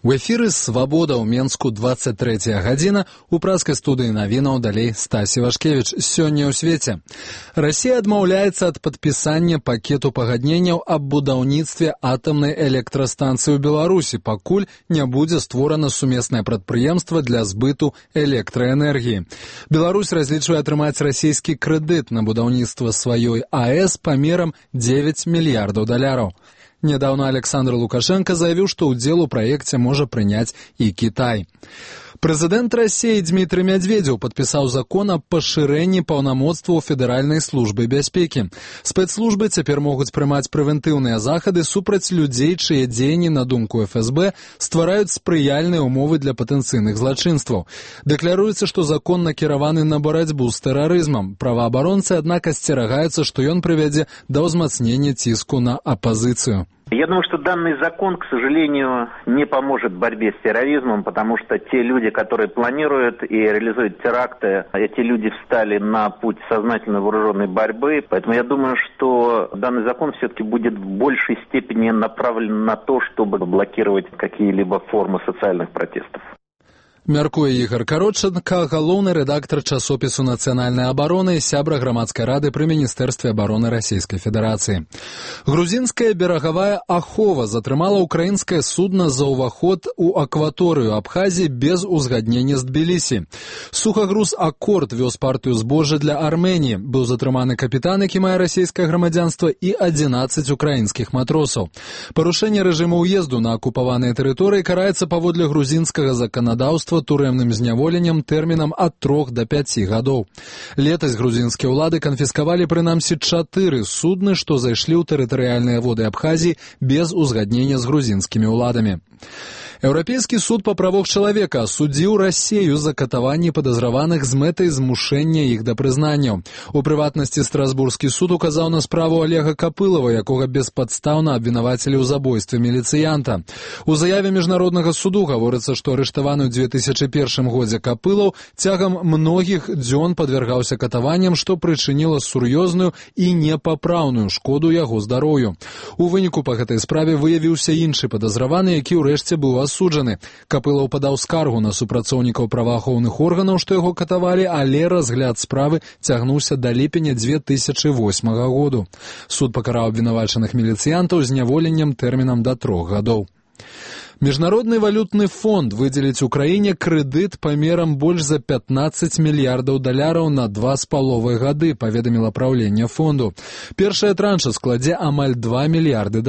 У эфіры «Свабода» ў Менску 23 гадзіна. У праскай студыі навінаў далей Стасі Вашкевіч. Сёння ў свеце. Расія адмаўляецца ад падпісання пакету пагадненняў аб будаўніцтве атамнай электрастанцыі ў Беларусі, пакуль не будзе створана сумеснае прадпрыемства для збыту электраэнергіі. Беларусь разлічвае атрымаць расійскі крэдыт на будаўніцтва сваёй АЭС памерам $9 мільярдаў. Недавно Александр Лукашенко заявил, что удел у проекте может принять и Китай. Президент России Дмитрий Медведев подписал закон о поширении полномоцтва Федеральной службы бяспеки. Спецслужбы теперь могут принимать превентивные заходы супраць людей, чьи дзеянні, на думку ФСБ, ствараюць спрыяльныя умовы для потенциальных злачынстваў. Декларуется, что закон накіраваны на борьбу с терроризмом. Правоабаронцы, однако, асцерагаюцца, что он приведет до ўзмацнення ціску на оппозицию. Я думаю, что данный закон, к сожалению, не поможет в борьбе с терроризмом, потому что те люди, которые планируют и реализуют теракты, эти люди встали на путь сознательной вооруженной борьбы. Поэтому я думаю, что данный закон все-таки будет в большей степени направлен на то, чтобы блокировать какие-либо формы социальных протестов. Мяркуе Ігор Кароченко, галоўны рэдактар часопісу «Нацыянальная абарона» і сябра грамадскай рады пры Міністэрстве абароны Расійскай Федэрацыі. Грузінская берагавая ахова затрымала украінскае судна за ўваход у акваторыю Абхазіі без узгаднення з Тбілісі. Сухагруз «Аккорд» вёз партыю збожжа для Арменіі. Быў затрыманы капітан, які мае расійскае грамадзянства, і 11 украінскіх матросаў. Парушэнне рэжыму ўезду на акупаваныя тэрыторыі караецца паводле грузінскага заканадаўства турэмным зняволеннем тэрмінам ад 3 до 5 гадоў. Летась грузінскія ўлады канфіскавалі прынамсі 4 судны, што зайшлі ў тэрытарыяльныя воды Абхазіі без узгаднення з грузінскімі ўладамі. Еўрапейскі суд па правах чалавека асудзіў Расію за катаванні падазраваных з мэтай змушэння іх да прызнанняў. У прыватнасці Страсбургскі суд указаў на справу Олега Капылова, якога беспадстаўна абвінавацілі ў забойстве міліцыянта. У заяве міжнароднага суду гаворыцца, што арыштаваны ў 2001 годзе Капылаў цягам многіх дзён падвяргаўся катаванням, што прычыніла сур'ёзную і непапраўную шкоду яго здароўю. У выніку па гэтай справе выявіўся іншы падазраваны, які ўрэшце быў асуджаны. Капылаў падаў скаргу на супрацоўнікаў праваахоўных органаў, што яго катавалі, але разгляд справы цягнуўся да ліпеня 2008 году. Суд пакараў абвінавачаных міліцыянтаў зняволеннем тэрмінам да 3 гадоў. Міжнародны валютны фонд выдзеліць Украіне крэдыт памерам больш за $15 мільярдаў на 2,5 гады, паведаміла праўленне фонду. Першая транша складзе амаль $2 мільярды.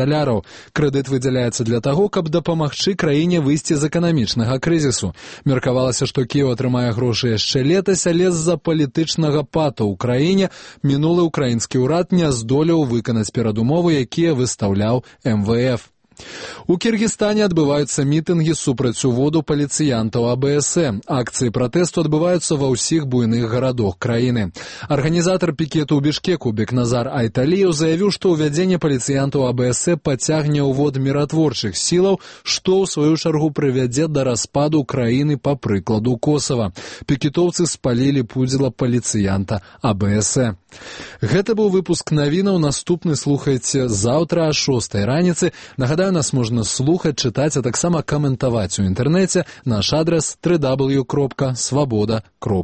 Крэдыт выдзяляецца для таго, каб дапамагчы краіне выйсці з эканамічнага крызісу. Меркавалася, што Кіеў атрымае грошы яшчэ летась, але з-за палітычнага пату ў краіне мінулы ўкраінскі ўрад не здолеў выканаць перадумовы, якія выстаўляў МВФ. У Кіргізстане адбываюцца мітынгі супраць уводу паліцыянтаў АБС. Акцыі пратэсту адбываюцца ва ўсіх буйных гарадах краіны. Арганізатар пікету ў Бішкеку Бекназар Айталіеў заявіў, што ўвядзенне паліцыянтаў АБС пацягне ўвод міратворчых сілаў, што ў сваю чаргу прывядзе да распаду краіны па прыкладу Косава. Пікетоўцы спалілі пудзіла паліцыянта АБС. Гэта быў выпуск навінаў. Наступны слухайце заўтра о 6 раніцы. Нагадаю, нас можна слухаць, чытаць, а таксама каментаваць у інтэрнэце. Наш адрес www.swaboda.ru.